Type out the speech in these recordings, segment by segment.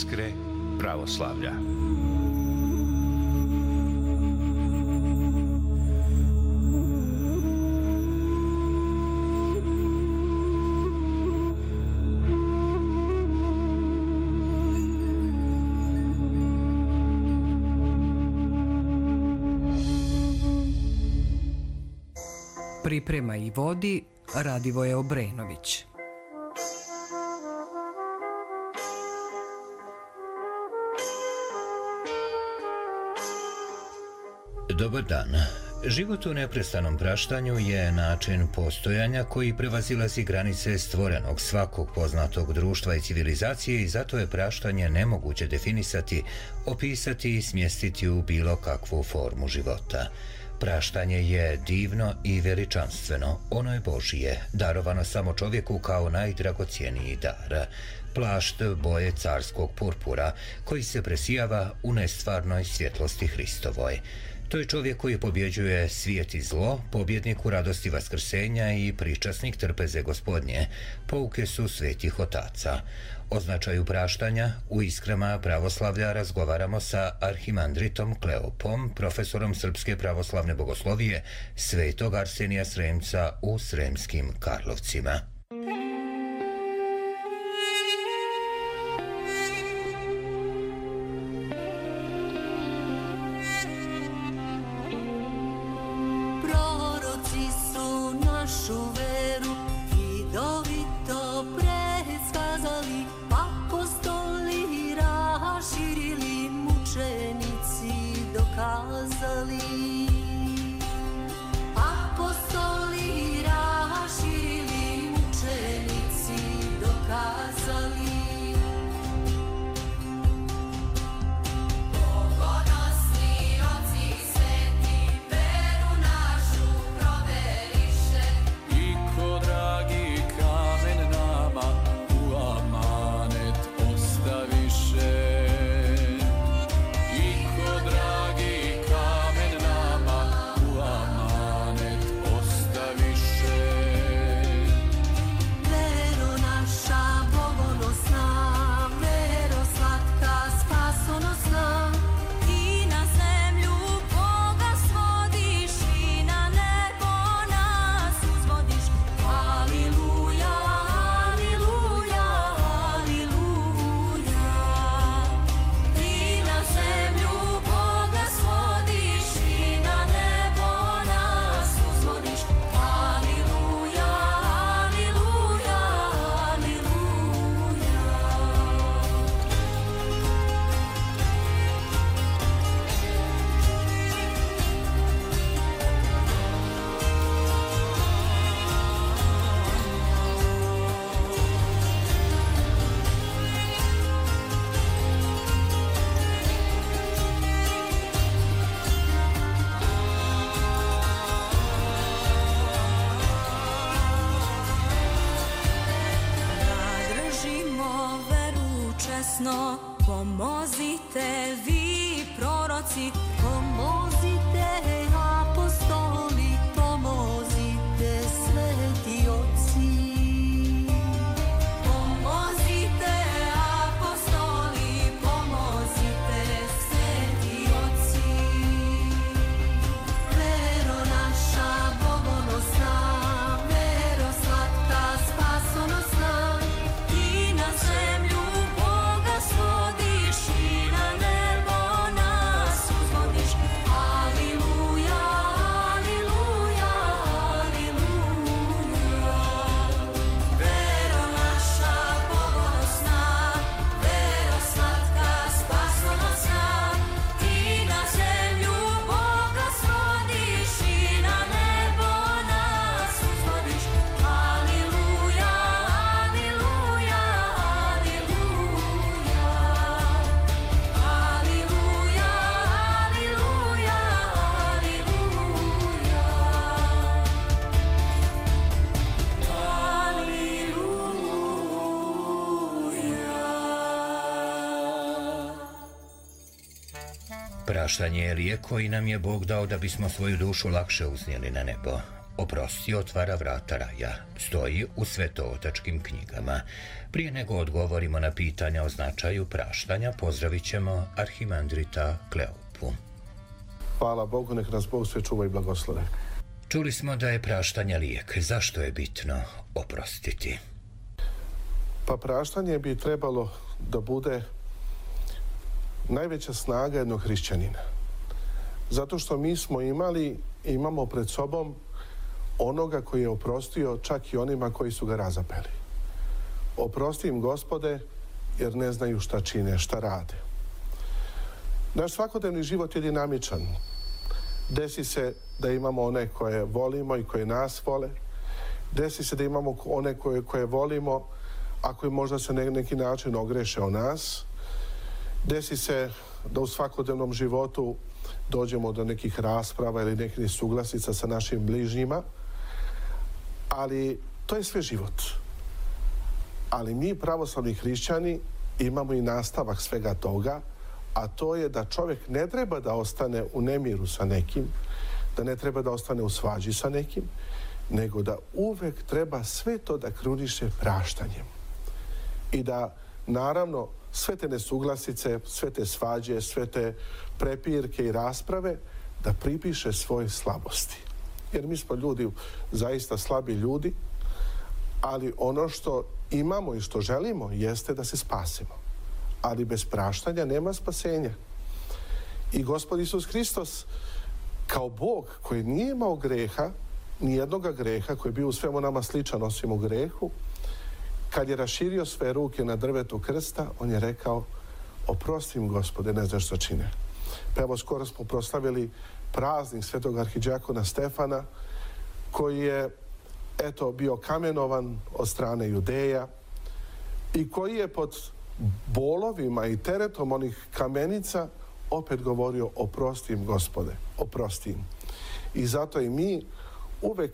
Iskre pravoslavlja. Priprema i vodi Radivoje Obrenović. Dobar dan. Život u neprestanom praštanju je način postojanja koji prevazilazi granice stvorenog svakog poznatog društva i civilizacije i zato je praštanje nemoguće definisati, opisati i smjestiti u bilo kakvu formu života. Praštanje je divno i veličanstveno, ono je Božije, darovano samo čovjeku kao najdragocjeniji dar. Plašt boje carskog purpura koji se presijava u nestvarnoj svjetlosti Hristovoj. To je čovjek koji pobjeđuje svijet i zlo, pobjednik u radosti vaskrsenja i pričasnik trpeze Gospodnje, pouke su svetih otaca. O značaju praštanja u Iskrama pravoslavlja razgovaramo sa arhimandritom Kleopom, profesorom Srpske pravoslavne bogoslovije, svetog Arsenija Sremca u Sremskim Karlovcima. Pomozite vi proroci, pomozite apostoli, pomozite sveti oci. Pomozite apostoli, pomozite sveti oci. Vero naša bogonosna, vero slatka spasonosna, ti na zemlju Boga svodiš i na nebo nas uzvodiš. Aliluja, aliluja, aliluja. Vero naša bogonosna, vero slatka spasonosna, ti na zemlju Boga svodiš i na nebo nas uzvodiš. Aliluja, aliluja, aliluja. Aliluja, aliluja, aliluja. Praštanje je lijek koji nam je Bog dao da bismo svoju dušu lakše uznijeli na nebo. Oprosti otvara vrata raja, stoji u svetootačkim knjigama. Prije nego odgovorimo na pitanja o značaju praštanja, pozdravit ćemo arhimandrita Kleopu. Hvala Bogu, nek nas Bog sve čuva i blagoslove. Čuli smo da je praštanje lijek. Zašto je bitno oprostiti? Pa praštanje bi trebalo da bude najveća snaga jednog hrišćanina. Zato što mi smo imamo pred sobom onoga koji je oprostio čak i onima koji su ga razapeli. Oprosti im, Gospode, jer ne znaju šta čine, šta rade. Naš svakodnevni život je dinamičan. Desi se da imamo one koje volimo i koje nas vole. Desi se da imamo one koje volimo, a koji možda se na neki način ogreše o nas. Desi se da u svakodnevnom životu dođemo do nekih rasprava ili nekih suglasica sa našim bližnjima, ali to je sve život. Ali mi, pravoslavni hrišćani, imamo i nastavak svega toga, a to je da čovjek ne treba da ostane u nemiru sa nekim, da ne treba da ostane u svađi sa nekim, nego da uvek treba sve to da kruniše praštanjem. I da, naravno, sve te nesuglasice, sve te svađe, sve te prepirke i rasprave da pripiše svoje slabosti. Jer mi smo ljudi, zaista slabi ljudi, ali ono što imamo i što želimo jeste da se spasimo. Ali bez praštanja nema spasenja. I Gospod Isus Hristos, kao Bog koji nije imao greha, nijednoga greha, koji je bio u svemu nama sličan osim u grehu, kad je raširio sve ruke na drvetu krsta, on je rekao: oprosti im, Gospode, ne znaš šta čine. Pa evo, skoro smo proslavili praznik svetog arhidijakona Stefana, koji je, eto, bio kamenovan od strane Judeja i koji je pod bolovima i teretom onih kamenica opet govorio: oprosti im, Gospode, oprosti im. I zato i mi uvek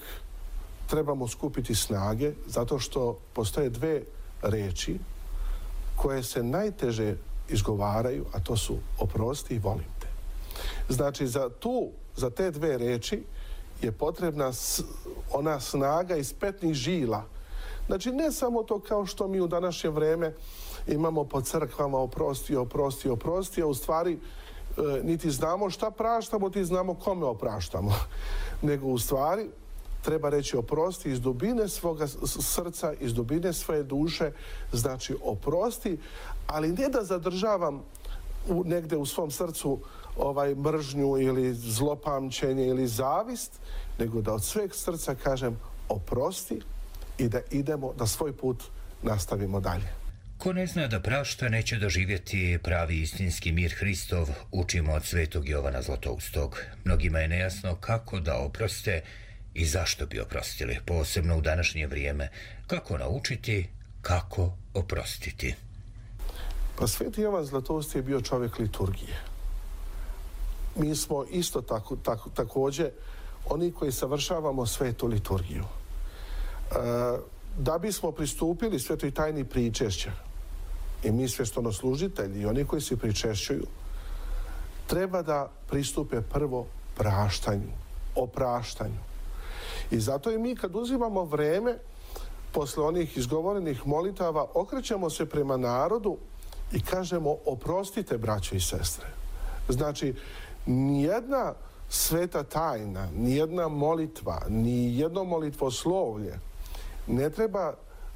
trebamo skupiti snage, zato što postoje dve reči koje se najteže izgovaraju, a to su oprosti i volim te. Znači, za te dve reči je potrebna ona snaga iz petnih žila. Znači, ne samo to kao što mi u današnje vreme imamo po crkvama oprosti, oprosti, oprosti, a u stvari niti znamo šta praštamo, niti znamo kome opraštamo. Nego u stvari treba reći oprosti iz dubine svoga srca, iz dubine svoje duše, znači oprosti, ali ne da zadržavam negde u svom srcu mržnju ili zlopamćenje ili zavist, nego da od sveg srca kažem oprosti i da idemo, da svoj put nastavimo dalje. Ko ne zna da prašta, neće doživjeti pravi istinski mir Hristov, učimo od svetog Jovana Zlatoustog. Mnogima je nejasno kako da oproste i zašto bi oprostili, posebno u današnje vrijeme. Kako naučiti, kako oprostiti? Pa sveti Jovan Zlatoust je bio čovjek liturgije. Mi smo isto također oni koji savršavamo svetu liturgiju. Da bismo pristupili svetoj tajni pričešća, i mi sveštoslužitelji i oni koji se pričešćuju, treba da pristupe prvo praštanju, opraštanju. I zato i mi kad uzimamo vreme posle onih izgovorenih molitava, okrećemo se prema narodu i kažemo oprostite, braćo i sestre. Znači, nijedna sveta tajna, nijedna molitva, nijedno molitvoslovlje ne treba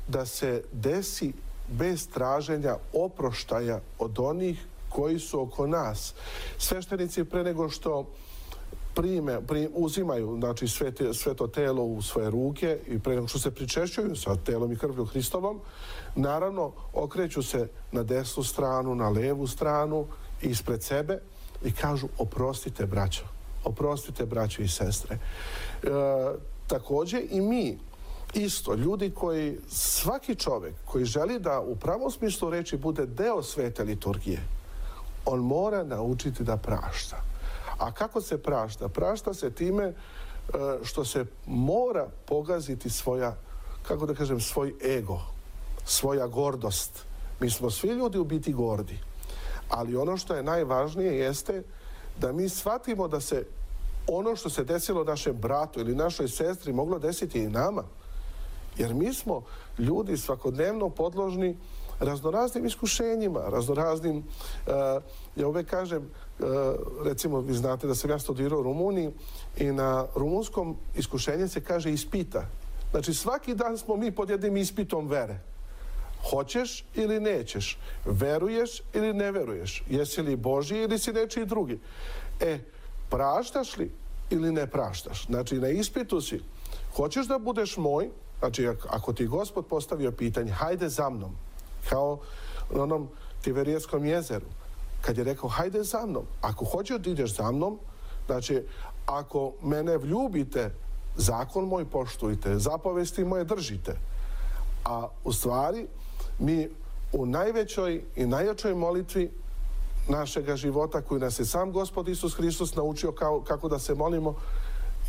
da se desi bez traženja oproštaja od koji su oko nas. Sveštenici pre nego što uzimaju, znači, sveto telo u svoje ruke i pre nego što se pričešćuju sa telom i krvlju Hristovom, naravno okreću se na desnu stranu, na levu stranu, ispred sebe i kažu oprostite, braćo. Oprostite, braćo i sestre. Također i mi, isto, ljudi koji, svaki čovjek koji želi da u pravom smislu reči bude deo svete liturgije, on mora naučiti da prašta. A kako se prašta? Prašta se time što se mora pogaziti svoja, kako da kažem, svoj ego, svoja gordost. Mi smo svi ljudi u biti gordi. Ali ono što je najvažnije jeste da mi shvatimo da se ono što se desilo našem bratu ili našoj sestri moglo desiti i nama. Jer mi smo ljudi svakodnevno podložni raznoraznim iskušenjima, raznoraznim, ja uvek kažem, recimo vi znate da sam ja studirao u Rumuniji i na rumunskom iskušenje se kaže ispita. Znači svaki dan smo mi pod jednim ispitom vere. Hoćeš ili nećeš, veruješ ili ne veruješ, jesi li Božji ili si nečiji drugi. Praštaš li ili ne praštaš? Znači na ispitu si, hoćeš da budeš moj, znači ako ti Gospod postavio pitanje, hajde za mnom, kao na onom Tiberijskom jezeru, kad je rekao hajde za mnom, ako hoćeš da ideš za mnom, znači ako mene vljubite, zakon moj poštujte, zapovesti moje držite. A u stvari mi u najvećoj i najjačoj molitvi našega života koju nas je sam Gospod Isus Hristos naučio kako da se molimo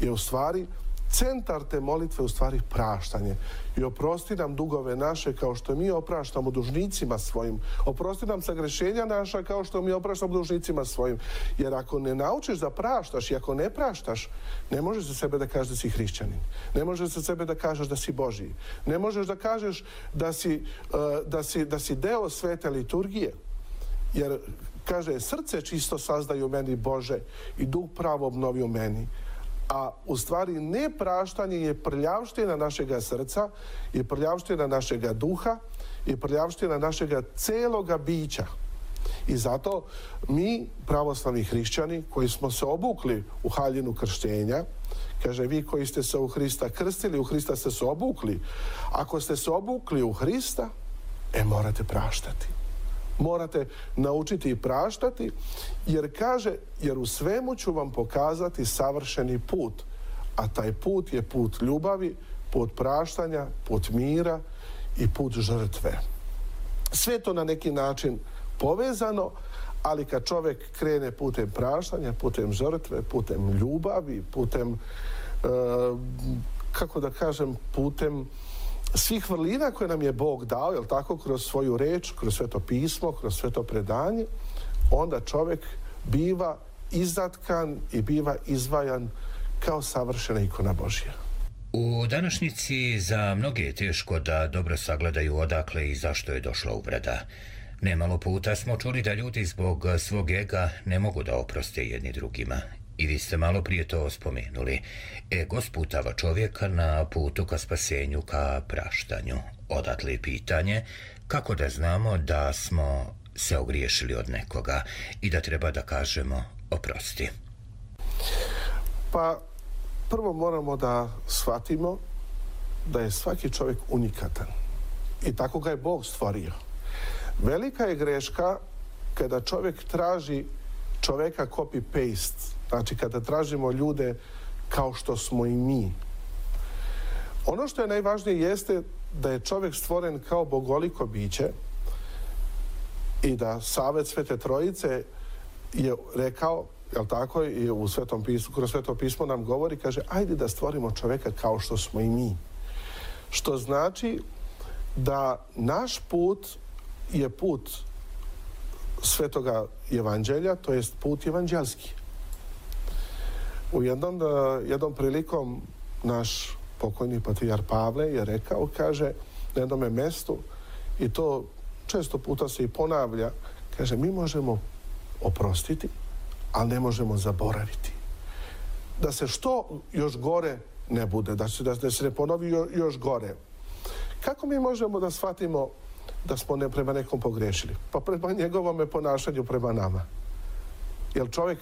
je u stvari centar te molitve u stvari praštanje. I oprosti nam dugove naše kao što mi opraštamo dužnicima svojim. Oprosti nam sagrešenja naša kao što mi opraštamo dužnicima svojim. Jer ako ne naučiš da praštaš i ako ne praštaš, ne možeš za sebe da kažeš da si hrišćanin. Ne možeš za sebe da kažeš da si Božji. Ne možeš da kažeš da si deo svete liturgije. Jer kaže, srce čisto sazdaju meni Bože i duh pravo obnovi u meni. A u stvari nepraštanje je prljavština našega srca, je prljavština našega duha, je prljavština našega celoga bića. I zato mi, pravoslavni hrišćani, koji smo se obukli u haljinu krštenja, kaže, vi koji ste se u Hrista krstili, u Hrista ste se obukli. Ako ste se obukli u Hrista, morate praštati. Morate naučiti i praštati, jer kaže, jer u svemu ću vam pokazati savršeni put, a taj put je put ljubavi, put praštanja, put mira i put žrtve. Sve to na neki način povezano, ali kad čovjek krene putem praštanja, putem žrtve, putem ljubavi, putem, kako da kažem, putem svih vrlina koje nam je Bog dao, jel tako, kroz svoju reč, kroz sveto pismo, kroz sveto predanje, onda čovjek biva izatkan i biva izvajan kao savršena ikona Božja. U današnjici za mnoge je teško da dobro sagledaju odakle i zašto je došla uvreda. Nemalo puta smo čuli da ljudi zbog svog ega ne mogu da oproste jedni drugima. I vi ste malo prije to spomenuli. Ego sputava čovjeka na putu ka spasenju, ka praštanju. Odatle je pitanje kako da znamo da smo se ogriješili od nekoga i da treba da kažemo oprosti. Pa prvo moramo da shvatimo da je svaki čovjek unikatan. I tako ga je Bog stvorio. Velika je greška kada čovjek traži čovjeka copy-paste. Znači, kada tražimo ljude kao što smo i mi. Ono što je najvažnije jeste da je čovjek stvoren kao bogoliko biće i da Savet Svete Trojice je rekao, jel tako, i u Svetom pismu, kroz Sveto pismo nam govori, kaže, ajde da stvorimo čovjeka kao što smo i mi. Što znači da naš put je put Svetoga evanđelja, to jest put evanđelski. U jednom prilikom naš pokojni patrijar Pavle je rekao, kaže, na jednom mjestu, i to često puta se i ponavlja, kaže, mi možemo oprostiti, ali ne možemo zaboraviti. Da se što još gore ne bude, da se ne ponovi još gore. Kako mi možemo da shvatimo da smo prema nekom pogrešili? Pa prema njegovom ponašanju prema nama. Jer čovjek,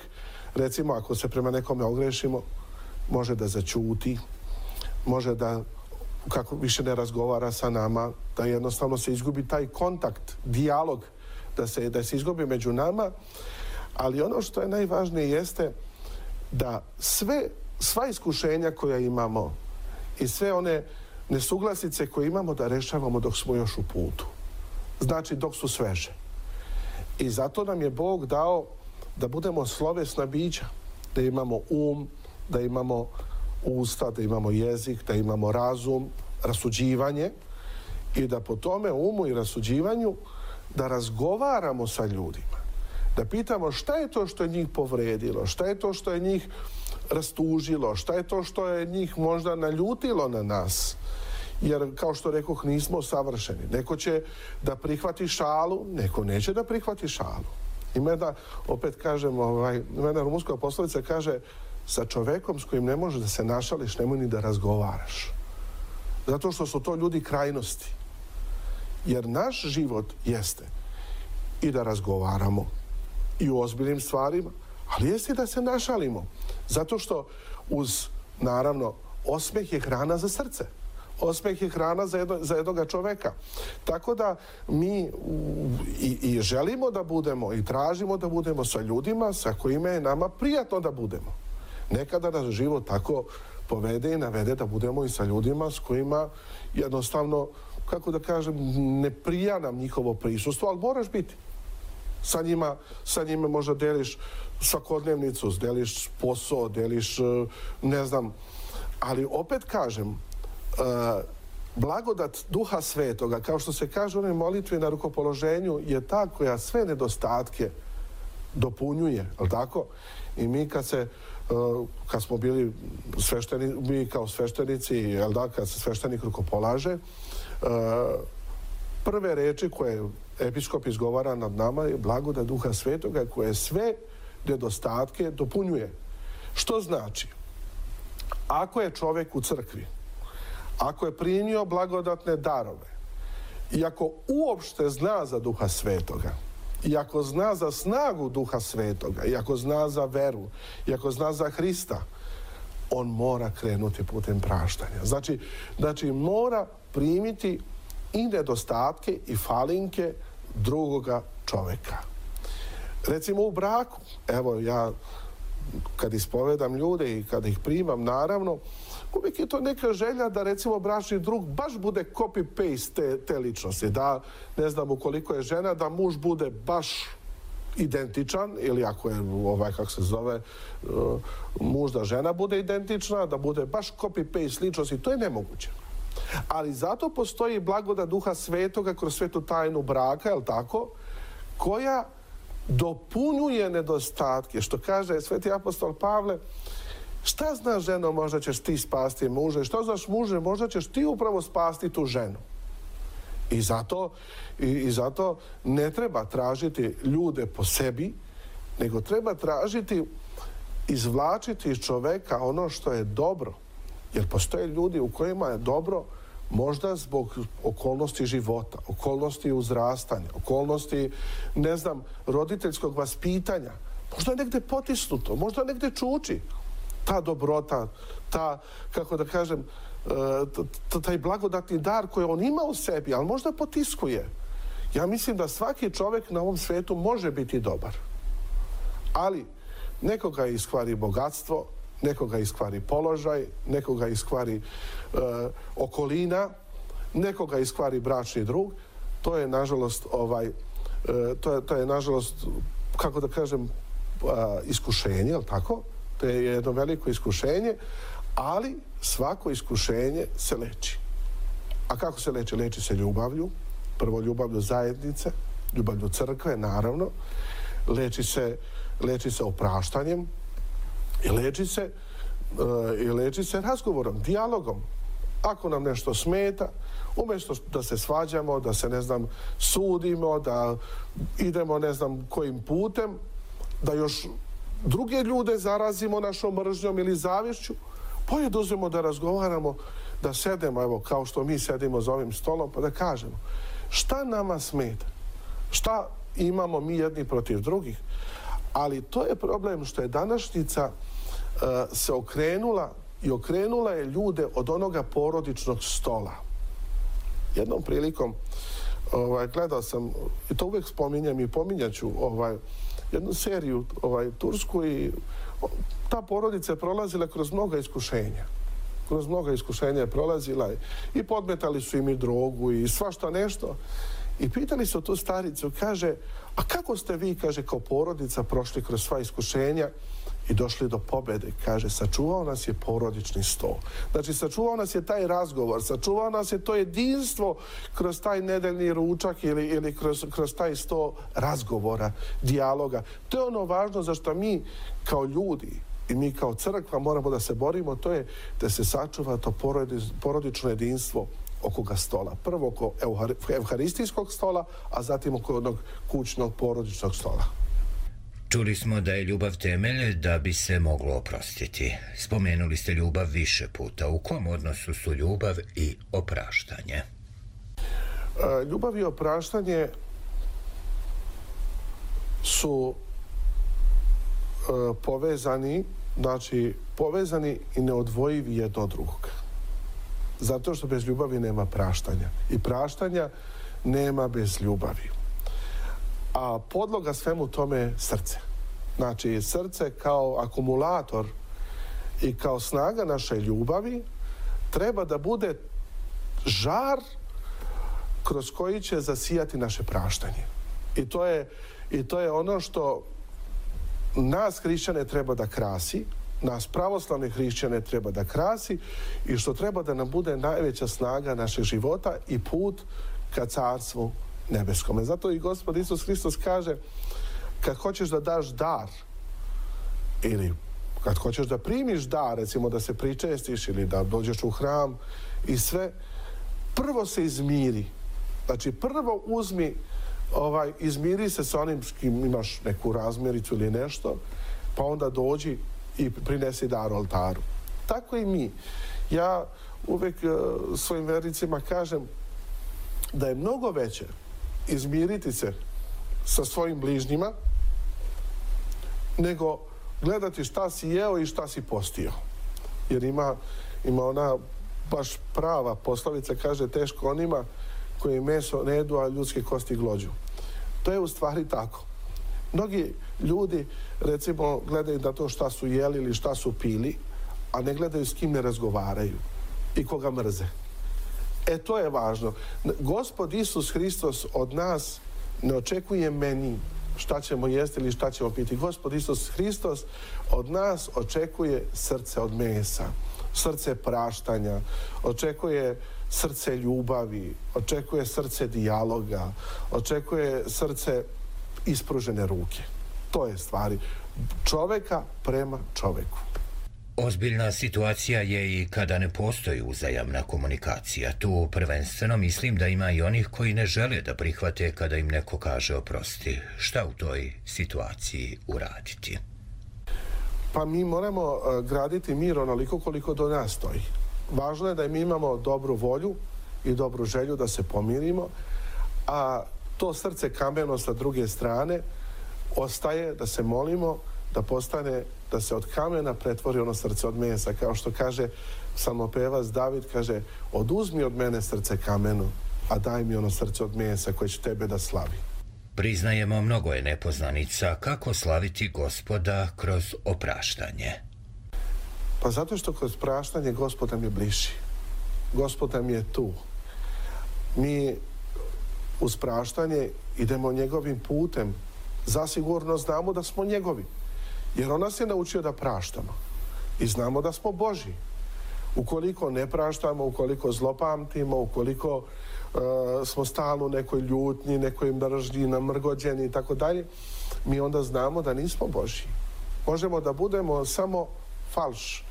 recimo, ako se prema nekome ogrešimo, može da zaćuti, može da, kako više ne razgovara sa nama, da jednostavno se izgubi taj kontakt, dijalog, da se izgubi među nama, ali ono što je najvažnije jeste da sva iskušenja koja imamo i sve one nesuglasice koje imamo da rešavamo dok smo još u putu. Znači dok su sveže. I zato nam je Bog dao da budemo slovesna bića, da imamo da imamo usta, da imamo jezik, da imamo razum, rasuđivanje i da po tome umu i rasuđivanju da razgovaramo sa ljudima. Da pitamo šta je to što je njih povredilo, šta je to što je njih rastužilo, šta je to što je njih možda naljutilo na nas. Jer, kao što rekoh, nismo savršeni. Neko će da prihvati šalu, neko neće da prihvati šalu. Ima jedna, opet kažem, ima jedna rumunska poslovica kaže sa čovekom s kojim ne možeš da se našališ, nemoj ni da razgovaraš. Zato što su to ljudi krajnosti. Jer naš život jeste i da razgovaramo i u ozbiljnim stvarima, ali jeste i da se našalimo. Zato što uz, naravno, osmeh je hrana za srce. Osmeh je hrana za jednoga čoveka. Tako da mi i želimo da budemo i tražimo da budemo sa ljudima sa kojima je nama prijatno da budemo. Nekada nas život tako povede i navede da budemo i sa ljudima s kojima jednostavno, kako da kažem, ne prija nam njihovo prisustvo, ali moraš biti. Sa njima možda deliš svakodnevnicu, deliš posao, deliš, ne znam, ali opet kažem, blagodat Duha Svetoga, kao što se kaže u onoj molitvi na rukopoloženju, je ta koja sve nedostatke dopunjuje, ali tako? I mi kad smo bili mi kao sveštenici, jel da, kad se sveštenik rukopolaže, prve reči koje episkop izgovara nad nama je blagodat Duha Svetoga koje sve nedostatke dopunjuje. Što znači? Ako je čovjek u crkvi, ako je primio blagodatne darove i ako uopšte zna za Duha Svetoga, i ako zna za snagu Duha Svetoga, i ako zna za veru, i ako zna za Hrista, on mora krenuti putem praštanja. Znači mora primiti i nedostatke i falinke drugoga čoveka. Recimo u braku, evo ja kad ispovedam ljude i kad ih primam, naravno, uvijek je to neka želja da recimo bračni drug baš bude copy-paste te ličnosti. Da, ne znam, ukoliko je žena, da muž bude baš identičan, ili ako je, kako se zove, muž da žena bude identična, da bude baš copy-paste ličnosti, to je nemoguće. Ali zato postoji blagodat Duha Svetoga kroz svetu tajnu braka, je li tako, koja dopunjuje nedostatke. Što kaže sveti apostol Pavle, šta znaš ženo, možda ćeš ti spasti muže, što znaš muže, možda ćeš ti upravo spasti tu ženu. I zato ne treba tražiti ljude po sebi, nego treba tražiti, izvlačiti iz čoveka ono što je dobro. Jer postoje ljudi u kojima je dobro možda zbog okolnosti života, okolnosti uzrastanja, okolnosti, ne znam, roditeljskog vaspitanja. Možda je negde potisnuto, možda negde čuči ta dobrota, ta, kako da kažem, taj blagodatni dar koji on ima u sebi, ali možda potiskuje. Ja mislim da svaki čovjek na ovom svijetu može biti dobar. Ali nekoga iskvari bogatstvo, nekoga iskvari položaj, nekoga iskvari okolina, nekoga iskvari bračni drug. To je nažalost to je nažalost, kako da kažem, iskušenje, je li tako? To je jedno veliko iskušenje, ali svako iskušenje se leči. A kako se leči? Leči se ljubavlju, prvo ljubavlju zajednice, ljubavlju crkve, naravno, leči se opraštanjem i leči se razgovorom, dijalogom. Ako nam nešto smeta, umjesto da se svađamo, da se, ne znam, sudimo, da idemo, ne znam, kojim putem, da još druge ljude zarazimo našom mržnjom ili zavješću, bolje da uzmemo da razgovaramo, da sedemo, evo, kao što mi sedimo za ovim stolom, pa da kažemo šta nama smeta, šta imamo mi jedni protiv drugih. Ali to je problem što je današnjica se okrenula je ljude od onoga porodičnog stola. Jednom prilikom gledao sam, i to uvijek spominjem i pominjaću, jednu seriju tursku, i ta porodica je prolazila kroz mnoga iskušenja. Kroz mnoga iskušenja je prolazila i podmetali su im i drogu i svašta nešto. I pitali su tu staricu, kaže, a kako ste vi, kaže, kao porodica prošli kroz sva iskušenja i došli do pobjede? Kaže, sačuvao nas je porodični sto. Znači, sačuvao nas je taj razgovor, sačuvao nas je to jedinstvo kroz taj nedeljni ručak ili kroz taj sto razgovora, dijaloga. To je ono važno za što mi kao ljudi i mi kao crkva moramo da se borimo, to je da se sačuva to porodično jedinstvo oko ga stola. Prvo oko evharistijskog stola, a zatim oko onog kućnog porodičnog stola. Čuli smo da je ljubav temelj da bi se moglo oprostiti. Spomenuli ste ljubav više puta. U kom odnosu su ljubav i opraštanje? Ljubav i opraštanje su povezani, znači povezani i neodvojivi jedno od drugog. Zato što bez ljubavi nema praštanja. I praštanja nema bez ljubavi. A podloga svemu tome je srce. Znači, srce kao akumulator i kao snaga naše ljubavi treba da bude žar kroz koji će zasijati naše praštanje. I to je ono što nas hrišćane treba da krasi, nas pravoslavne hrišćane treba da krasi i što treba da nam bude najveća snaga našeg života i put ka carstvu nebeskome. Zato i Gospod Isus Hristos kaže, kad hoćeš da daš dar ili kad hoćeš da primiš dar, recimo da se pričestiš ili da dođeš u hram i sve, prvo se izmiri. Znači prvo uzmi, izmiri se sa onim s kim imaš neku razmiricu ili nešto, pa onda dođi i prinesi dar oltaru. Tako i mi. Ja uvek svojim vernicima kažem da je mnogo veće izmiriti se sa svojim bližnjima nego gledati šta si jeo i šta si postio. Jer ima ona baš prava poslovica, kaže teško onima koji meso ne jedu, a ljudske kosti glođu. To je u stvari tako. Mnogi ljudi, recimo, gledaju na to šta su jeli ili šta su pili, a ne gledaju s kim ne razgovaraju i koga mrze. To je važno. Gospod Isus Hristos od nas ne očekuje meni šta ćemo jesti ili šta ćemo piti. Gospod Isus Hristos od nas očekuje srce od mesa, srce praštanja, očekuje srce ljubavi, očekuje srce dijaloga, očekuje srce ispružene ruke. To je stvari čoveka prema čoveku. Ozbiljna situacija je i kada ne postoji uzajamna komunikacija. Tu prvenstveno mislim da ima i onih koji ne žele da prihvate kada im neko kaže oprosti. Šta u toj situaciji uraditi? Pa mi moramo graditi mir onoliko koliko do nas stoji. Važno je da mi imamo dobru volju i dobru želju da se pomirimo, a to srce kameno sa druge strane ostaje da se molimo da postane, da se od kamena pretvori ono srce od mesa. Kao što kaže psalmopevac David, kaže, oduzmi od mene srce kameno, a daj mi ono srce od mesa koje će tebe da slavi. Priznajemo, mnogo je nepoznanica. Kako slaviti Gospoda kroz opraštanje? Pa zato što kroz praštanje Gospod nam je bliži. Gospod nam je tu. Mi uz praštanje idemo njegovim putem. Zasigurno znamo da smo njegovi. Jer on nas je naučio da praštamo. I znamo da smo Božji. Ukoliko ne praštamo, ukoliko zlopamtimo, ukoliko smo stalno u nekoj ljutnji, nekoj mržnji, namrgođeni i tako dalje, mi onda znamo da nismo Božji. Možemo da budemo samo falš,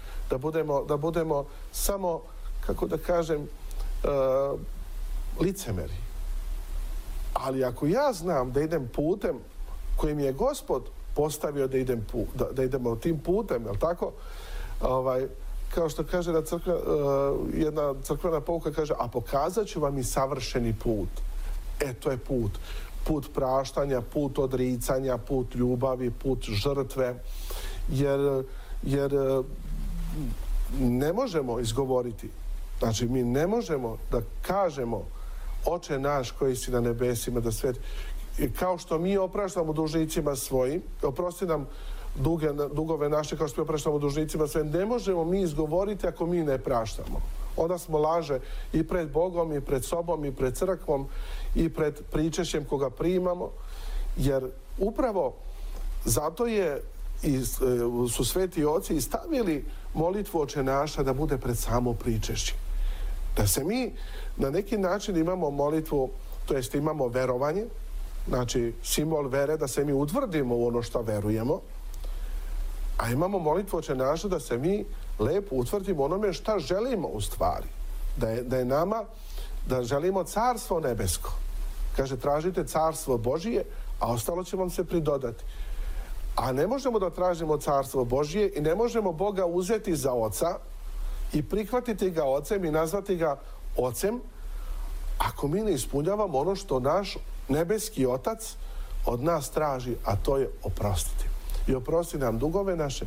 da budemo samo, kako da kažem, licemeri. Ali ako ja znam da idem putem kojim je Gospod postavio da idemo tim putem, jel tako? Kao što kaže jedna crkvena pouka, kaže, a pokazat ću vam i savršeni put. To je put. Put praštanja, put odricanja, put ljubavi, put žrtve. Jer ne možemo izgovoriti, znači mi ne možemo da kažemo Oče naš koji si na nebesima, da svet, kao što mi opraštamo dužnicima svojim, oprosti nam dugove naše kao što mi opraštamo dužnicima svojim, ne možemo mi izgovoriti ako mi ne praštamo. Onda smo laže i pred Bogom, i pred sobom, i pred crkvom, i pred pričešćem koga primamo, jer upravo zato su sveti oci i stavili molitvu Oče naša da bude pred samo pričešće. Da se mi na neki način imamo molitvu, to jest imamo verovanje, znači simbol vere, da se mi utvrdimo u ono što verujemo, A imamo molitvu Oče naš da se mi lepo utvrdimo onome šta želimo u stvari. Da je nama, da želimo carstvo nebesko. Kaže, tražite carstvo Božije, a ostalo će vam se pridodati. A ne možemo da tražimo carstvo Božije i ne možemo Boga uzeti za oca i prihvatiti ga ocem i nazvati ga ocem ako mi ne ispunjavamo ono što naš nebeski otac od nas traži, a to je oprostiti. I oprosti nam dugove naše,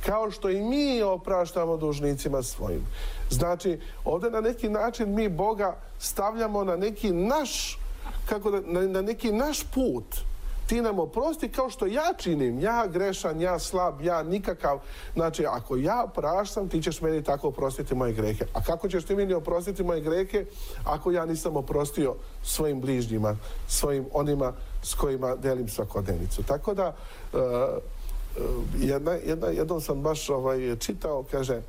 kao što i mi opraštamo dužnicima svojim. Znači, ovdje na neki način mi Boga stavljamo na neki naš, na neki naš put. Ti nam oprosti kao što ja činim, ja grešan, ja slab, ja nikakav. Znači, ako ja praštam, ti ćeš meni tako oprostiti moje grehe. A kako ćeš ti meni oprostiti moje grehe ako ja nisam oprostio svojim bližnjima, svojim onima s kojima delim svakodnevnicu. Tako da, jednom sam baš čitao, kaže,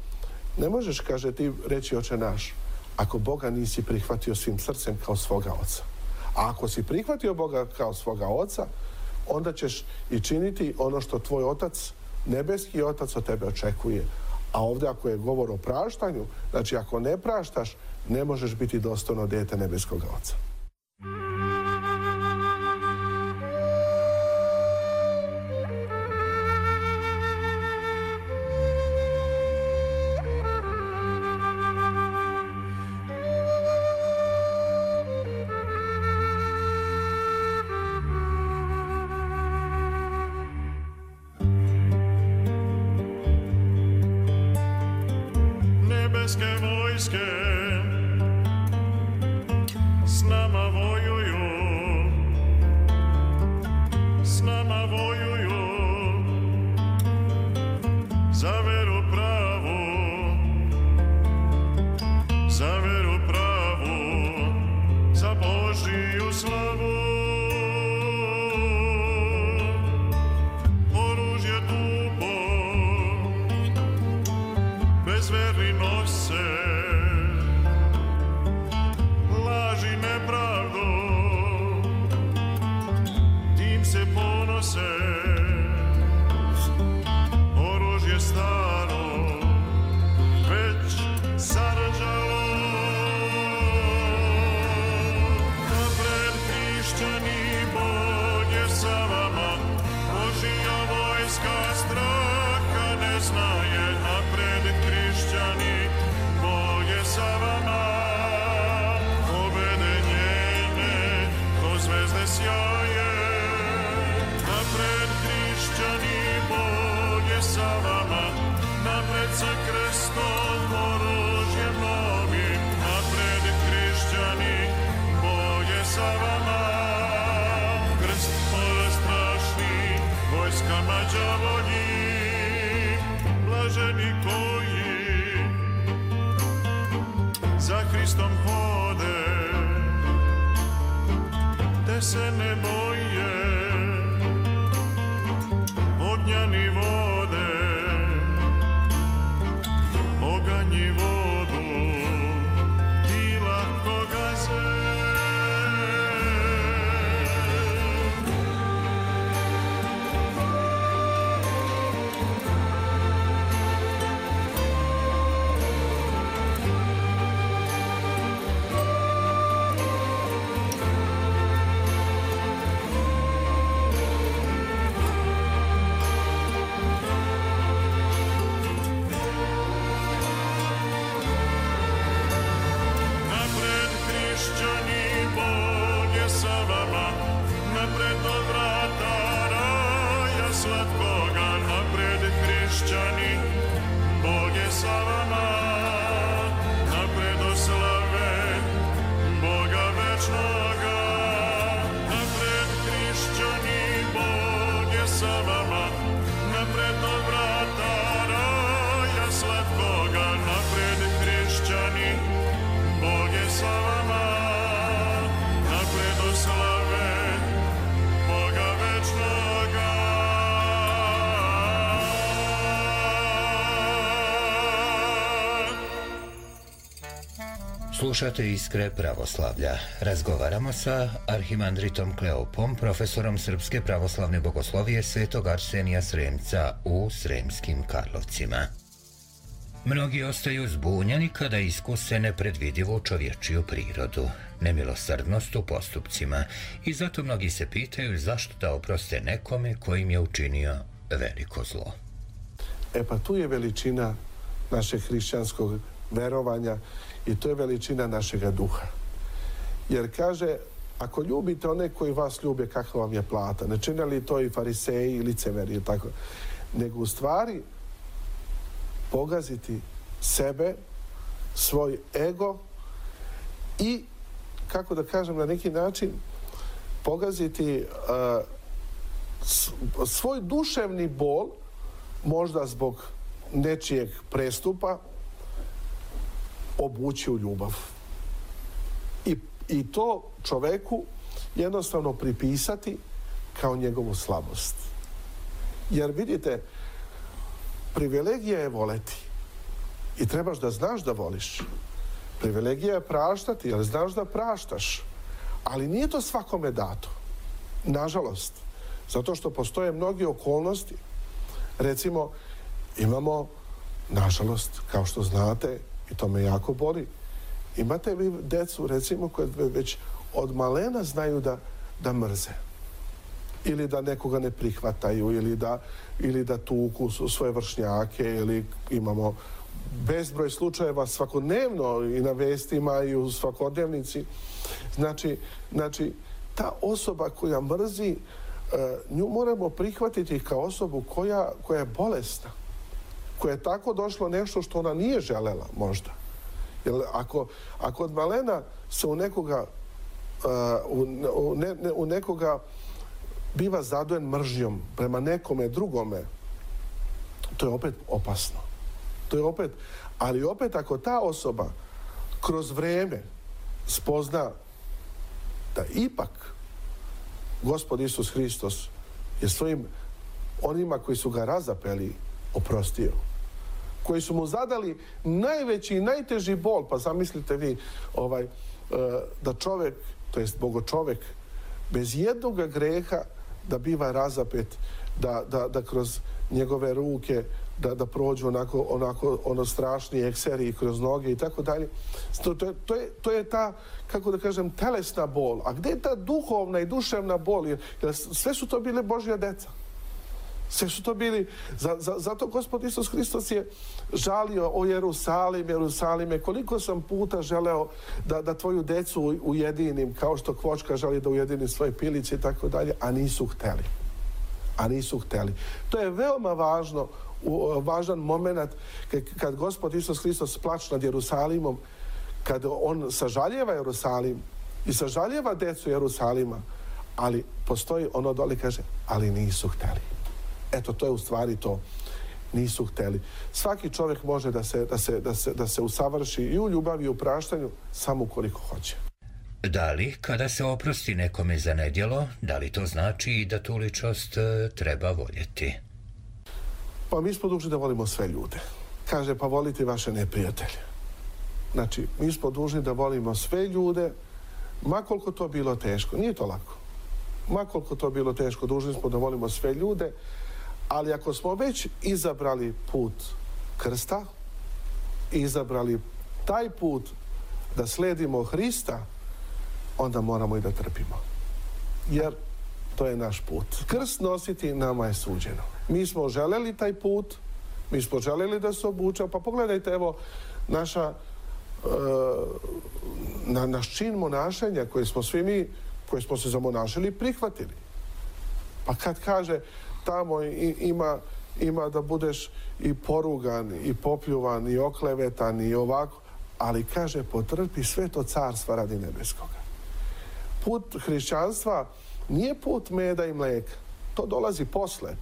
ne možeš, kaže, ti reći Oče naš, ako Boga nisi prihvatio svim srcem kao svoga oca. A ako si prihvatio Boga kao svoga oca, onda ćeš i činiti ono što tvoj otac, nebeski otac od tebe očekuje. A ovdje ako je govor o praštanju, znači ako ne praštaš, ne možeš biti dostojno dijete nebeskog oca. Nebeske vojske s nama vojuju, s nama vojuju za veru pravu, za veru pravu, za Božiju slavu. Oružje tupo bezverni nose, laži nepravdu, tim se ponose. Oružje staro već zarđalo. Napred hrišćani, Bog je sa vama, Božija vojska straha ne znaje. Napred hrišćani, Bog je sa vama, pobede njene ko zvezde sjaje. Napred hrišćani, Bog je sa vama, napred sa krstom, oružjem novim. Napred hrišćani, Bog je sa vama, krst strašni vojskama đavoljim. Blaženi koji za Hristom hode, te se ne boje ognjani vode, oganji vodu i lako gaze. Slušate Iskre pravoslavlja. Razgovaramo sa arhimandritom Kleopom, profesorom Srpske pravoslavne bogoslovije Svetog Arsenija Sremca u Sremskim Karlovcima. Mnogi ostaju zbunjeni kada iskuse nepredvidivu čovječiju prirodu, nemilosrdnost u postupcima i zato mnogi se pitaju zašto da oproste nekome kojim je učinio veliko zlo. Pa tu je veličina našeg hrišćanskog verovanja i to je veličina našega duha. Jer kaže, ako ljubite one koji vas ljube, kakva vam je plata? Ne čine li to i fariseji i licemeri, tako? Nego u stvari pogaziti sebe, svoj ego i, kako da kažem, na neki način pogaziti svoj duševni bol, možda zbog nečijeg prestupa, obući u ljubav. I to čoveku jednostavno pripisati kao njegovu slabost. Jer vidite, privilegija je voleti i trebaš da znaš da voliš. Privilegija je praštati, jer znaš da praštaš. Ali nije to svakome dato. Nažalost. Zato što postoje mnogi okolnosti. Recimo, imamo, nažalost, kao što znate, i to me jako boli, imate vi decu, recimo, koje već od malena znaju da mrze. Ili da nekoga ne prihvataju, ili da tuku svoje vršnjake, ili imamo bezbroj slučajeva svakodnevno i na vestima i u svakodnevnici. Znači, ta osoba koja mrzi, nju moramo prihvatiti kao osobu koja je bolesna, koja je tako došlo nešto što ona nije želela možda. Jer ako od malena se u nekoga biva zadojen mržnjom prema nekome drugome, to je opet opasno. Ali opet ako ta osoba kroz vrijeme spozna da ipak Gospod Isus Hristos je svojim onima koji su ga razapeli oprostio, koji su mu zadali najveći i najteži bol, pa zamislite vi da čovjek, to jest bogočovjek, bez jednog greha da biva razapet, da kroz njegove ruke da prođu onako strašni ekseri kroz noge i tako dalje. To je ta, kako da kažem, telesna bol. A gdje je ta duhovna i duševna bol? Jer sve su to bile Božja deca. Sve su to bili, zato Gospod Isus Hristos je žalio o Jerusalime, koliko sam puta želeo da tvoju decu ujedinim, kao što kvočka želi da ujedini svoje pilice i tako dalje, a nisu hteli. To je veoma važan moment kad Gospod Isus Hristos plače nad Jerusalimom, kad on sažaljeva Jerusalim i sažaljeva decu Jerusalima, ali postoji ono dole, kaže, ali nisu hteli. Eto, to je u stvari to. Nisu hteli. Svaki čovjek može da se usavrši i u ljubavi i u praštanju samo ukoliko hoće. Da li, kada se oprosti nekome za nedjelo, da li to znači i da tu ličnost treba voljeti? Pa mi smo dužni da volimo sve ljude. Kaže, pa volite vaše neprijatelje. Znači, mi smo dužni da volimo sve ljude, ma koliko to bilo teško. Nije to lako. Ma koliko to bilo teško, dužni smo da volimo sve ljude, ali ako smo već izabrali put krsta, izabrali taj put da sledimo Hrista, onda moramo i da trpimo. Jer to je naš put. Krst nositi nama je suđeno. Mi smo želeli taj put, mi smo želeli da se obučemo, pa pogledajte, evo, naš čin monašenja koji smo svi mi, koji smo se zamonašili, prihvatili. Pa kad kaže tamo ima da budeš i porugan, i popljuvan, i oklevetan, i ovako, ali kaže, potrpi sve to carstva radi nebeskoga. Put hrišćanstva nije put meda i mlijeka. To dolazi posle.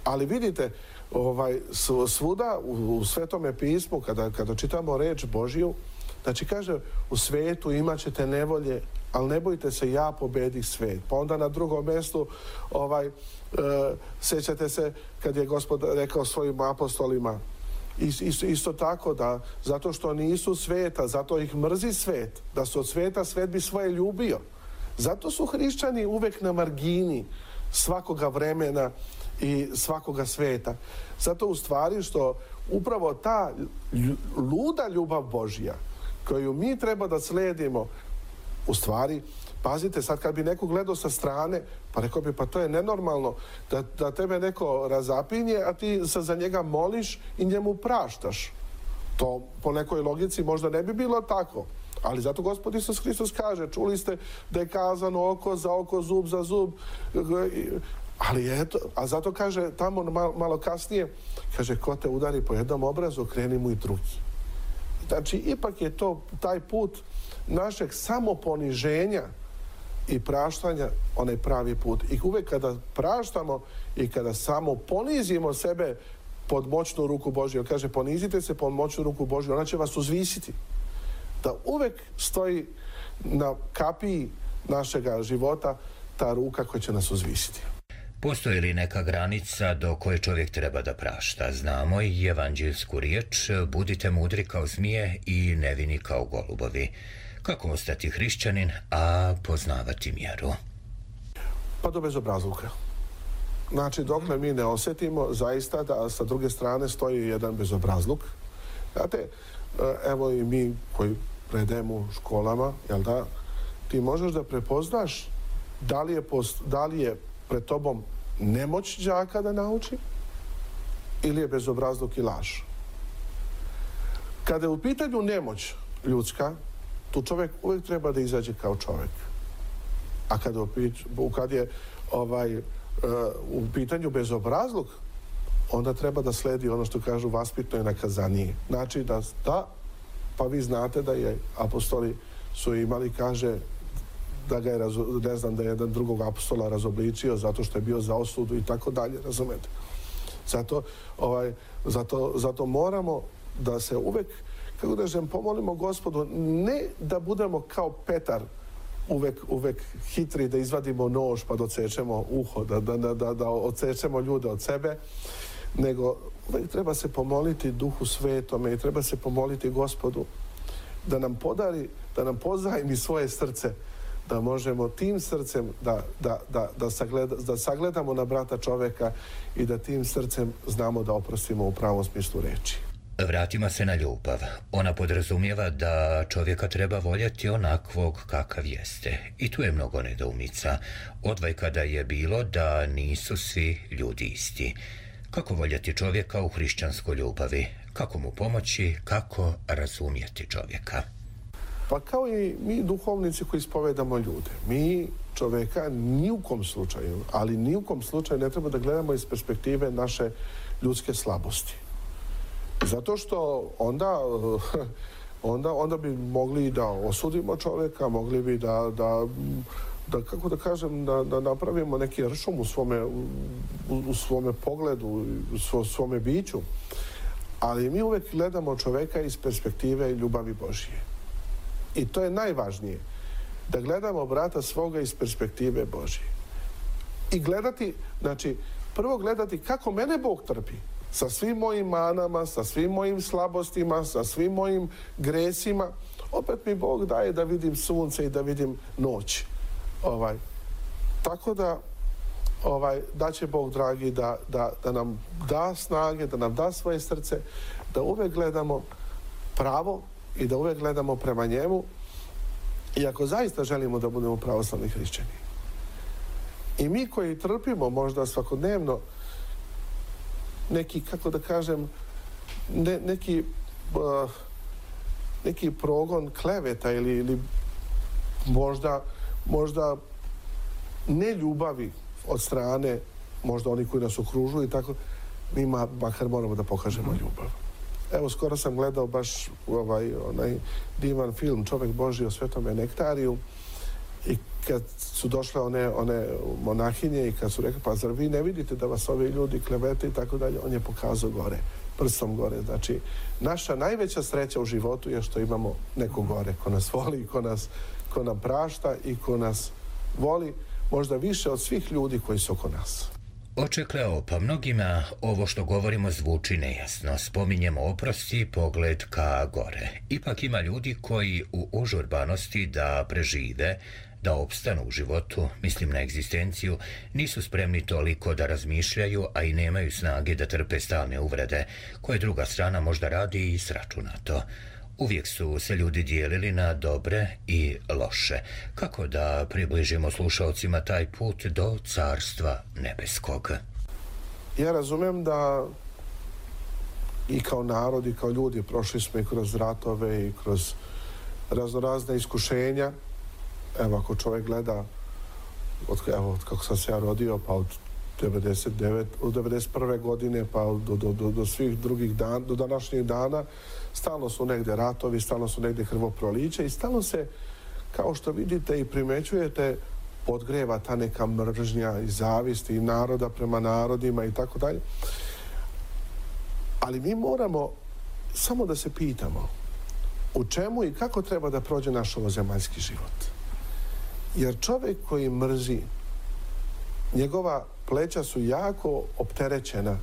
Ali vidite, svuda u Svetome pismu, kada čitamo reč Božju, znači kaže, u svetu imat ćete nevolje, ali ne bojte se, ja pobedih svet. Pa onda na drugom mjestu sjećate se kad je Gospod rekao svojim apostolima, Isto tako da zato što nisu sveta, zato ih mrzi svet, da su od sveta, svet bi svoje ljubio. Zato su hrišćani uvek na margini svakoga vremena i svakoga sveta. Zato u stvari što upravo ta luda ljubav Božja koju mi treba da sledimo, u stvari, pazite, sad kad bi neko gledao sa strane, pa rekao bi, pa to je nenormalno da tebe neko razapinje, a ti se za njega moliš i njemu praštaš. To po nekoj logici možda ne bi bilo tako. Ali zato Gospod Isus Hristos kaže, čuli ste da je kazano oko za oko, zub za zub. Ali eto, a zato kaže tamo malo kasnije, kaže, ko te udari po jednom obrazu, okreni mu i drugi. Znači, ipak je to taj put našeg samoponiženja i praštanja, onaj pravi put. I uvek kada praštamo i kada samo ponizimo sebe pod moćnu ruku Božju, kaže, ponizite se pod moćnu ruku Božju, ona će vas uzvisiti. Da uvek stoji na kapiji našega života ta ruka koja će nas uzvisiti. Postoji li neka granica do koje čovjek treba da prašta? Znamo i evanđelsku riječ, budite mudri kao zmije i nevini kao golubovi. Kako ostati hrišćanin, a poznavati mjeru? Pa do bezobrazluka. Znači, dokle mi ne osjetimo zaista da sa druge strane stoji jedan bezobrazluk. Znate, evo i mi koji predajemo u školama, jel da, ti možeš da prepoznaš da li je pred tobom nemoć đaka da nauči ili je bezobrazluk i laž. Kada je u pitanju nemoć ljudska, tu čovjek uvijek treba da izađe kao čovjek. A kad je u pitanju bezobrazluk, onda treba da sledi ono što kažu vaspitno i nakazanije. Znači da, pa vi znate da je apostoli su imali, kaže, da ga je, ne znam, da je jedan drugog apostola razobličio zato što je bio za osudu i tako dalje, razumete? Zato moramo da se uvek, kako da kažem, pomolimo Gospodu, ne da budemo kao Petar, uvek hitri da izvadimo nož pa da odsečemo uho, da odsečemo ljude od sebe, nego uvek treba se pomoliti Duhu Svetome i treba se pomoliti Gospodu da nam podari, da nam pozajmi svoje srce, da možemo tim srcem da sagledamo na brata čoveka i da tim srcem znamo da oprostimo u pravom smislu reči. Vratimo se na ljubav. Ona podrazumijeva da čovjeka treba voljeti onakvog kakav jeste. I tu je mnogo nedoumica. Odvajka da je bilo da nisu svi ljudi isti. Kako voljeti čovjeka u hrišćanskoj ljubavi? Kako mu pomoći? Kako razumjeti čovjeka? Pa kao i mi duhovnici koji ispovedamo ljude. Mi čovjeka ni u kom slučaju, ali ni u kom slučaju ne treba da gledamo iz perspektive naše ljudske slabosti. Zato što onda bi mogli da osudimo čovjeka, mogli bi da kako da kažem, da napravimo neki ršum u svome pogledu, u svome biću. Ali mi uvek gledamo čovjeka iz perspektive ljubavi Božije. I to je najvažnije. Da gledamo brata svoga iz perspektive Božije. I gledati, znači, prvo gledati kako mene Bog trpi. Sa svim mojim manama, sa svim mojim slabostima, sa svim mojim gresima. Opet mi Bog daje da vidim sunce i da vidim noć. Tako da daće Bog dragi da nam da snage, da nam da svoje srce, da uvek gledamo pravo i da uvek gledamo prema njemu, i ako zaista želimo da budemo pravoslavni hrišćani. I mi koji trpimo možda svakodnevno neki, kako da kažem, neki progon kleveta ili možda ne ljubavi od strane možda oni koji nas okružuju i tako, mi makar moramo da pokažemo ljubav. Evo, skoro sam gledao baš onaj divan film Čovjek Božji o Svetome Nektariju i kad su došle one monahinje i kad su rekli, pa zar vi ne vidite da vas ovi ljudi klevete i tako dalje, on je pokazao gore, prstom gore. Znači, naša najveća sreća u životu je što imamo neko gore ko nas voli, ko nam prašta i ko nas voli možda više od svih ljudi koji su oko nas. Očekleo, pa mnogima ovo što govorimo zvuči nejasno. Spominjemo oprosti i pogled ka gore. Ipak ima ljudi koji u užurbanosti da prežive, da opstanu u životu, mislim na egzistenciju, nisu spremni toliko da razmišljaju, a i nemaju snage da trpe stalne uvrede, koje druga strana možda radi i sračunato. Uvijek su se ljudi dijelili na dobre i loše. Kako da približimo slušalcima taj put do Carstva nebeskog? Ja razumijem da i kao narod i kao ljudi prošli smo i kroz ratove i kroz raznorazne iskušenja. Evo, ako čovjek gleda od kako sam se ja rodio, pa od 91. godine pa do svih drugih dana, do današnjih dana, stalno su negdje ratovi, stalno su negdje krvoprolića i stalno se, kao što vidite i primećujete, podgreva ta neka mržnja i zavist i naroda prema narodima i tako dalje. Ali mi moramo samo da se pitamo u čemu i kako treba da prođe naš ovozemaljski život. Jer čovjek koji mrzi, njegova pleća su jako opterećena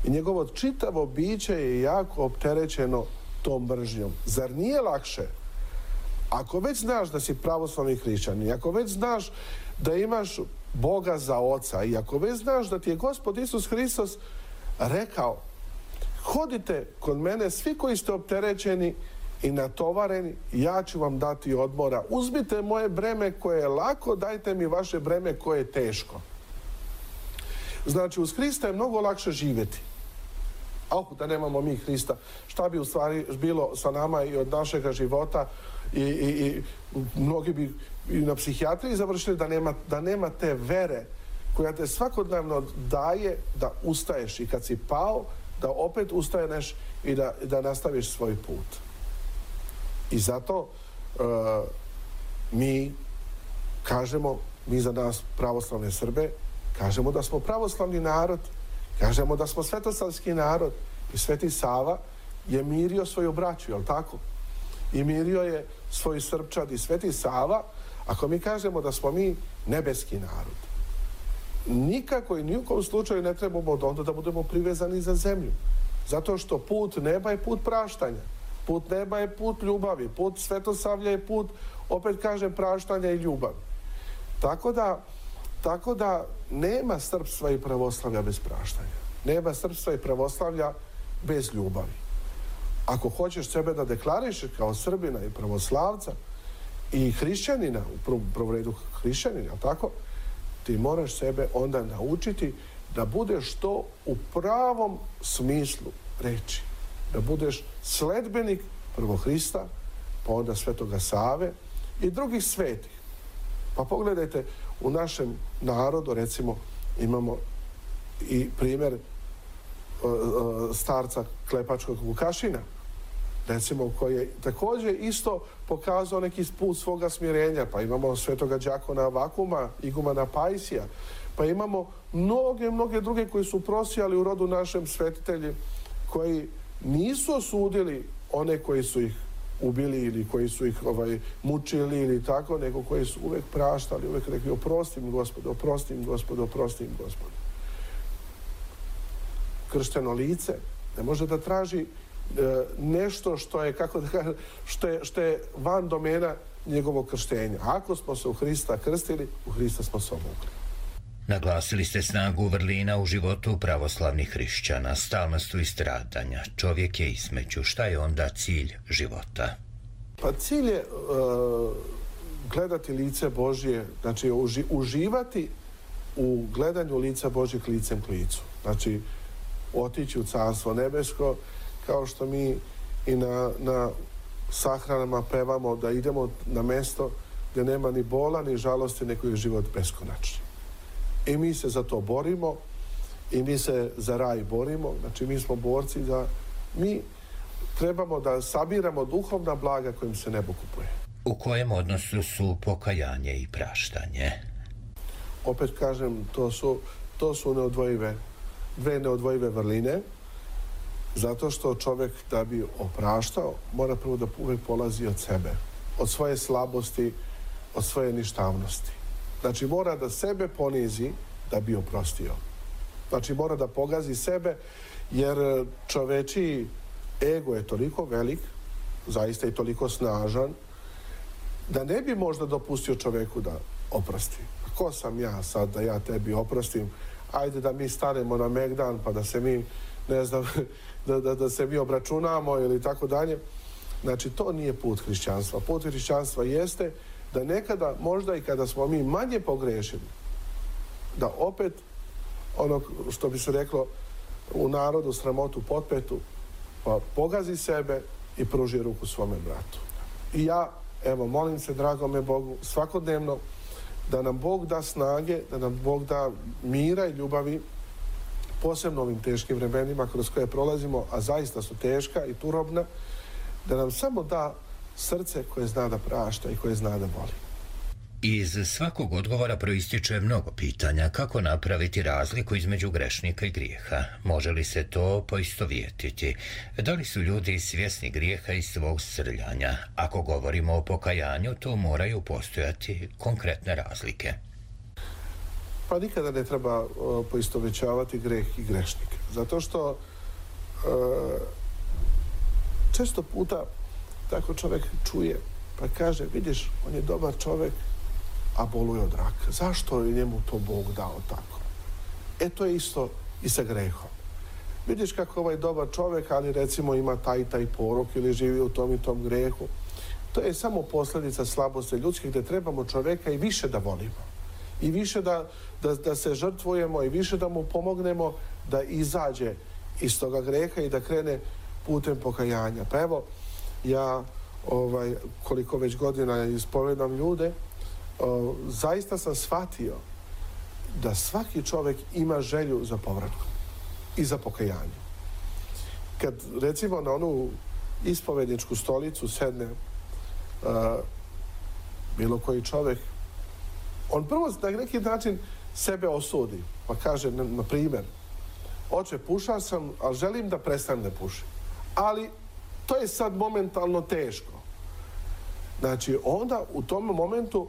i njegovo čitavo biće je jako opterećeno tom mržnjom. Zar nije lakše, ako već znaš da si pravoslavni hrišćanin, ako već znaš da imaš Boga za oca i ako već znaš da ti je Gospod Isus Hristos rekao: hodite kod mene svi koji ste opterećeni i natovareni, ja ću vam dati odmora. Uzmite moje breme koje je lako, dajte mi vaše breme koje je teško. Znači, uz Hrista je mnogo lakše živjeti. Da nemamo mi Hrista, šta bi u stvari bilo sa nama i od našega života i mnogi bi i na psihijatriji završili da nema te vere koja te svakodnevno daje da ustaješ i kad si pao, da opet ustaneš i da nastaviš svoj put. I zato mi kažemo, mi za nas pravoslavne Srbe, kažemo da smo pravoslavni narod, kažemo da smo svetosavski narod i Sveti Sava je mirio svoju braću, jel tako? I mirio je svoj Srpčad i Sveti Sava, ako mi kažemo da smo mi nebeski narod. Nikako i ni u kom slučaju ne trebamo onda da budemo privezani za zemlju. Zato što put neba je put praštanja. Put neba je put ljubavi. Put Svetosavlja je put, opet kažem, praštanja i ljubavi. Tako da nema srpstva i pravoslavlja bez praštanja. Nema srpstva i pravoslavlja bez ljubavi. Ako hoćeš sebe da deklarišeš kao Srbina i pravoslavca i hrišćanina, u prvom redu hrišćanina, tako, ti moraš sebe onda naučiti da budeš to u pravom smislu reči. Da budeš sledbenik prvo Hrista, pa onda Svetoga Save i drugih svetih. Pa pogledajte, u našem narodu, recimo, imamo i primjer starca Klepačkog Vukašina, recimo, koji je također isto pokazao neki put svoga smirenja. Pa imamo Svetoga Đakona Vakuma, igumana Pajsija, pa imamo mnoge druge koji su prosijali u rodu našem svetitelji, koji nisu osudili one koji su ih ubili ili koji su ih mučili ili tako, nego koji su uvijek praštali, uvijek rekli: oprosti mi Gospode, oprosti mi Gospode, oprosti mi Gospode. Kršteno lice ne može da traži nešto što je, kako da kažem, što je van domena njegovog krštenja. Ako smo se u Hrista krstili, u Hrista smo se obukli. Naglasili ste snagu vrlina u životu pravoslavnih hrišćana, stalnost u istradanja. Čovjek je između. Šta je onda cilj života? Pa cilj je gledati lice Božje, znači uživati u gledanju lica Božjeg licem k licu. Znači, otići u Carstvo nebesko, kao što mi i na sahranama pevamo da idemo na mjesto gdje nema ni bola, ni žalosti, nego je život beskonačni. I mi se za to borimo i mi se za raj borimo. Znači, mi smo borci da mi trebamo da sabiramo duhovna blaga kojim se nebo kupuje. U kojem odnosu su pokajanje i praštanje? Opet kažem, to su dve neodvojive vrline, zato što čovjek da bi opraštao mora prvo da uvijek polazi od sebe, od svoje slabosti, od svoje ništavnosti. Znači, mora da sebe ponizi da bi oprostio. Znači mora da pogazi sebe, jer čovečiji ego je toliko velik, zaista i toliko snažan, da ne bi možda dopustio čoveku da oprosti. Ko sam ja sad da ja tebi oprostim? Ajde da mi stanemo na Megdan pa da se mi, ne znam, da se mi obračunamo ili tako dalje. Znači, to nije put hrišćanstva. Put hrišćanstva jeste da nekada, možda i kada smo mi manje pogrešili, da opet, ono što bi se reklo u narodu, sramotu potpetu, pa pogazi sebe i pruži ruku svome bratu. I ja, evo, molim se dragome Bogu svakodnevno da nam Bog da snage, da nam Bog da mira i ljubavi, posebno ovim teškim vremenima kroz koje prolazimo, a zaista su teška i turobna, da nam samo da srce koje zna da prašta i koje zna da voli. Iz svakog odgovora proističe mnogo pitanja kako napraviti razliku između grešnika i grijeha. Može li se to poistovjetiti? Da li su ljudi svjesni grijeha i svog srljanja? Ako govorimo o pokajanju, to moraju postojati konkretne razlike. Pa nikada ne treba poistovjećavati greh i grešnike. Zato što često puta tako čovjek čuje pa kaže, vidiš, on je dobar čovjek, a boluje od raka. Zašto je njemu to Bog dao tako? E to je isto i sa grehom. Vidiš kako ovaj dobar čovjek, ali recimo ima taj porok ili živi u tom i tom grehu. To je samo posljedica slabosti ljudskih, gdje trebamo čovjeka i više da volimo. I više da se žrtvujemo i više da mu pomognemo da izađe iz toga greha i da krene putem pokajanja. Pa evo, ja koliko već godina ispovedam ljude, zaista sam shvatio da svaki čovjek ima želju za povratkom i za pokajanje. Kad recimo na onu ispovedničku stolicu sedne bilo koji čovjek, on prvo na neki način sebe osudi, pa kaže, na primjer, oče, pušao sam, ali želim da prestanem da pušim. Ali to je sad momentalno teško. Znači, onda u tom momentu,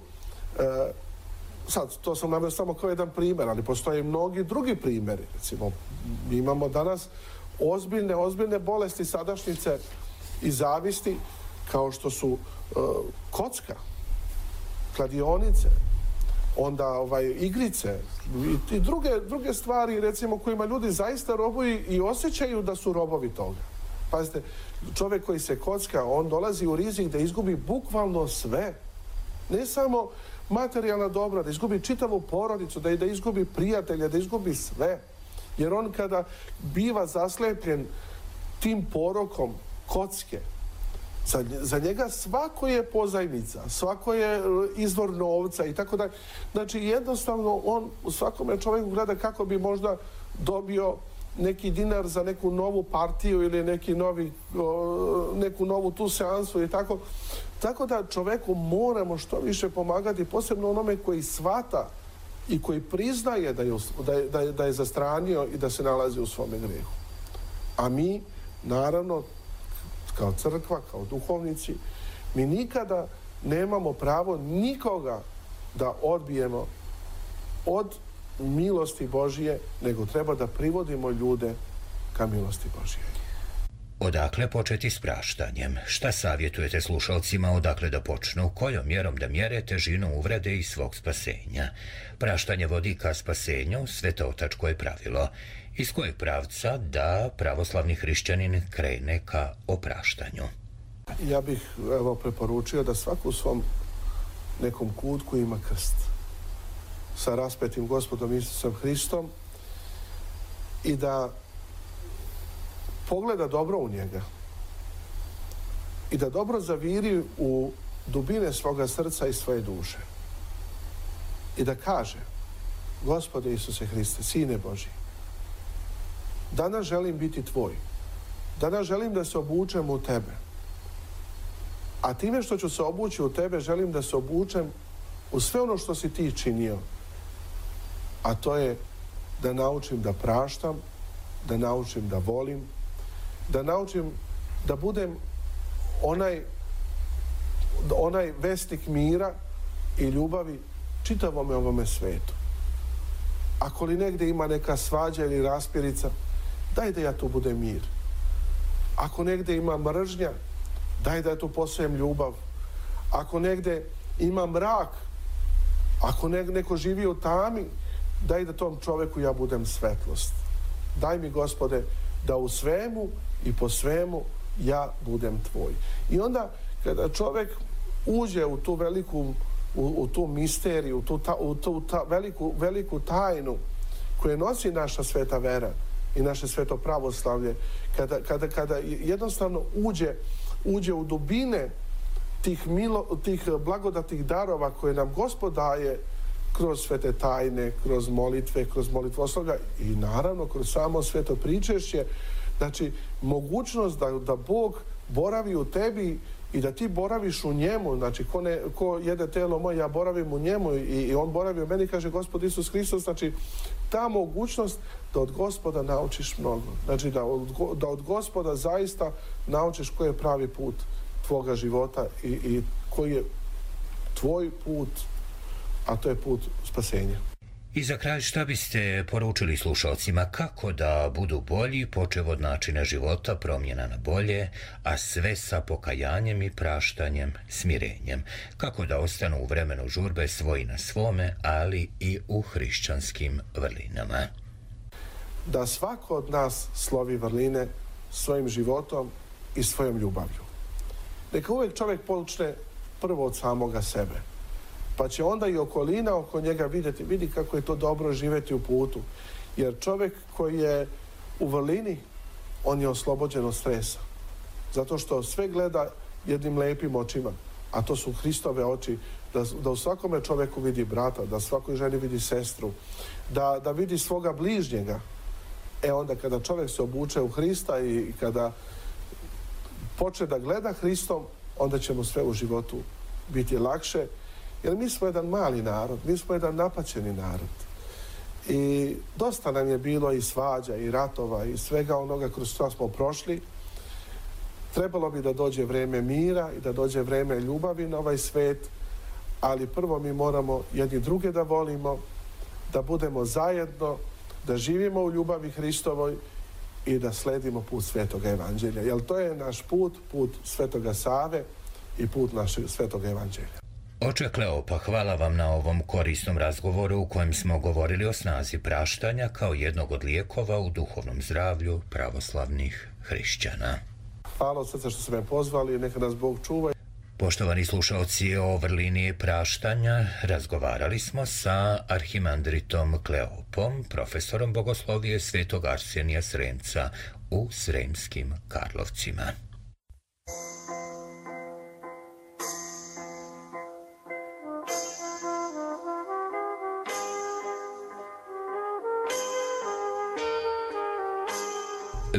sad, to sam naveo samo kao jedan primjer, ali postoje mnogi drugi primjeri. Recimo, mi imamo danas ozbiljne bolesti sadašnjice i zavisti, kao što su kocka, kladionice, onda igrice i druge stvari, recimo, kojima ljudi zaista robuju i osjećaju da su robovi toga. Pazite, čovjek koji se kocka, on dolazi u rizik da izgubi bukvalno sve. Ne samo materijalna dobra, da izgubi čitavu porodicu, da izgubi prijatelja, da izgubi sve. Jer on kada biva zaslepljen tim porokom kocke, za njega svako je pozajmica, svako je izvor novca i tako dalje. Znači, jednostavno, on u svakome čovjeku gleda kako bi možda dobio neki dinar za neku novu partiju ili neku novu tu seansu i tako. Tako da čovjeku moramo što više pomagati, posebno onome koji shvata i koji priznaje da je zastranio i da se nalazi u svome grijehu. A mi, naravno, kao crkva, kao duhovnici, mi nikada nemamo pravo nikoga da odbijemo od milosti Božije, nego treba da privodimo ljude ka milosti Božije. Odakle početi s praštanjem? Šta savjetujete slušalcima odakle da počnu? Kojom mjerom da mjere težinu uvrede i svog spasenja? Praštanje vodi ka spasenju, svetotačko je pravilo. Iz kojeg pravca da pravoslavni hrišćanin krene ka opraštanju? Ja bih preporučio da svako u svom nekom kutku ima krst sa raspetim Gospodom Isusom Hristom i da pogleda dobro u njega i da dobro zaviri u dubine svoga srca i svoje duše i da kaže: Gospode Isuse Hriste, Sine Božji, danas želim biti tvoj, danas želim da se obučem u tebe, a time što ću se obući u tebe želim da se obučem u sve ono što si ti činio, a to je da naučim da praštam, da naučim da volim, da naučim da budem onaj vestnik mira i ljubavi čitavome ovome svetu. Ako li negdje ima neka svađa ili raspirica, daj da ja tu budem mir. Ako negdje ima mržnja, daj da ja tu posujem ljubav. Ako negdje ima mrak, ako neko živi u tami, daj da tom čovjeku ja budem svetlost. Daj mi, Gospode, da u svemu i po svemu ja budem tvoj. I onda kada čovjek uđe u tu veliku, u tu misteriju, u tu veliku tajnu koju nosi naša sveta vera i naše sveto pravoslavlje, kada jednostavno uđe u dubine tih blagodatnih darova koje nam Gospod daje kroz svete tajne, kroz molitve, kroz molitvoslovlja i naravno kroz samo sveto pričešće, znači mogućnost da Bog boravi u tebi i da ti boraviš u njemu, znači ko jede telo moje, ja boravim u njemu i on boravi u meni, kaže Gospod Isus Hristos, znači ta mogućnost da od Gospoda naučiš mnogo, znači da od Gospoda zaista naučiš koji je pravi put tvoga života i koji je tvoj put, a to je put spasenja. I za kraj, šta biste poručili slušalcima kako da budu bolji, počev od načina života, promjena na bolje, a sve sa pokajanjem i praštanjem, smirenjem? Kako da ostanu u vremenu žurbe svoji na svome, ali i u hrišćanskim vrlinama? Da svako od nas slovi vrline svojim životom i svojom ljubavlju. Neka uvijek čovjek počne prvo od samoga sebe. Pa će onda i okolina oko njega vidi kako je to dobro živjeti u putu. Jer čovjek koji je u vrlini, on je oslobođen od stresa. Zato što sve gleda jednim lijepim očima, a to su Hristove oči, da u svakome čovjeku vidi brata, da svakoj ženi vidi sestru, da vidi svoga bližnjega. Onda kada čovjek se obuče u Hrista i kada počne da gleda Hristom, onda će mu sve u životu biti lakše. Jer mi smo jedan mali narod, mi smo jedan napaćeni narod. I dosta nam je bilo i svađa, i ratova, i svega onoga kroz što smo prošli. Trebalo bi da dođe vrijeme mira i da dođe vrijeme ljubavi na ovaj svet, ali prvo mi moramo jedni druge da volimo, da budemo zajedno, da živimo u ljubavi Hristovoj i da sledimo put Svetoga Evanđelja. Jer to je naš put Svetoga Save i put našeg Svetoga Evanđelja. Oče Kleopa, hvala vam na ovom korisnom razgovoru u kojem smo govorili o snazi praštanja kao jednog od lijekova u duhovnom zdravlju pravoslavnih hrišćana. Hvala od srca što ste me pozvali i neka nas Bog čuva. Poštovani slušalci, o vrlini praštanja razgovarali smo sa arhimandritom Kleopom, profesorom bogoslovije Svetog Arsenija Sremca u Sremskim Karlovcima.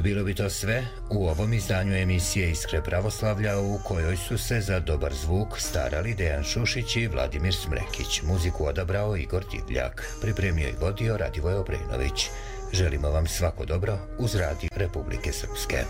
Bilo bi to sve u ovom izdanju emisije Iskre pravoslavlja, u kojoj su se za dobar zvuk starali Dejan Šušić i Vladimir Smrekić. Muziku odabrao Igor Divljak. Pripremio i vodio Radivoj Obrenović. Želimo vam svako dobro uz Radio Republike Srpske.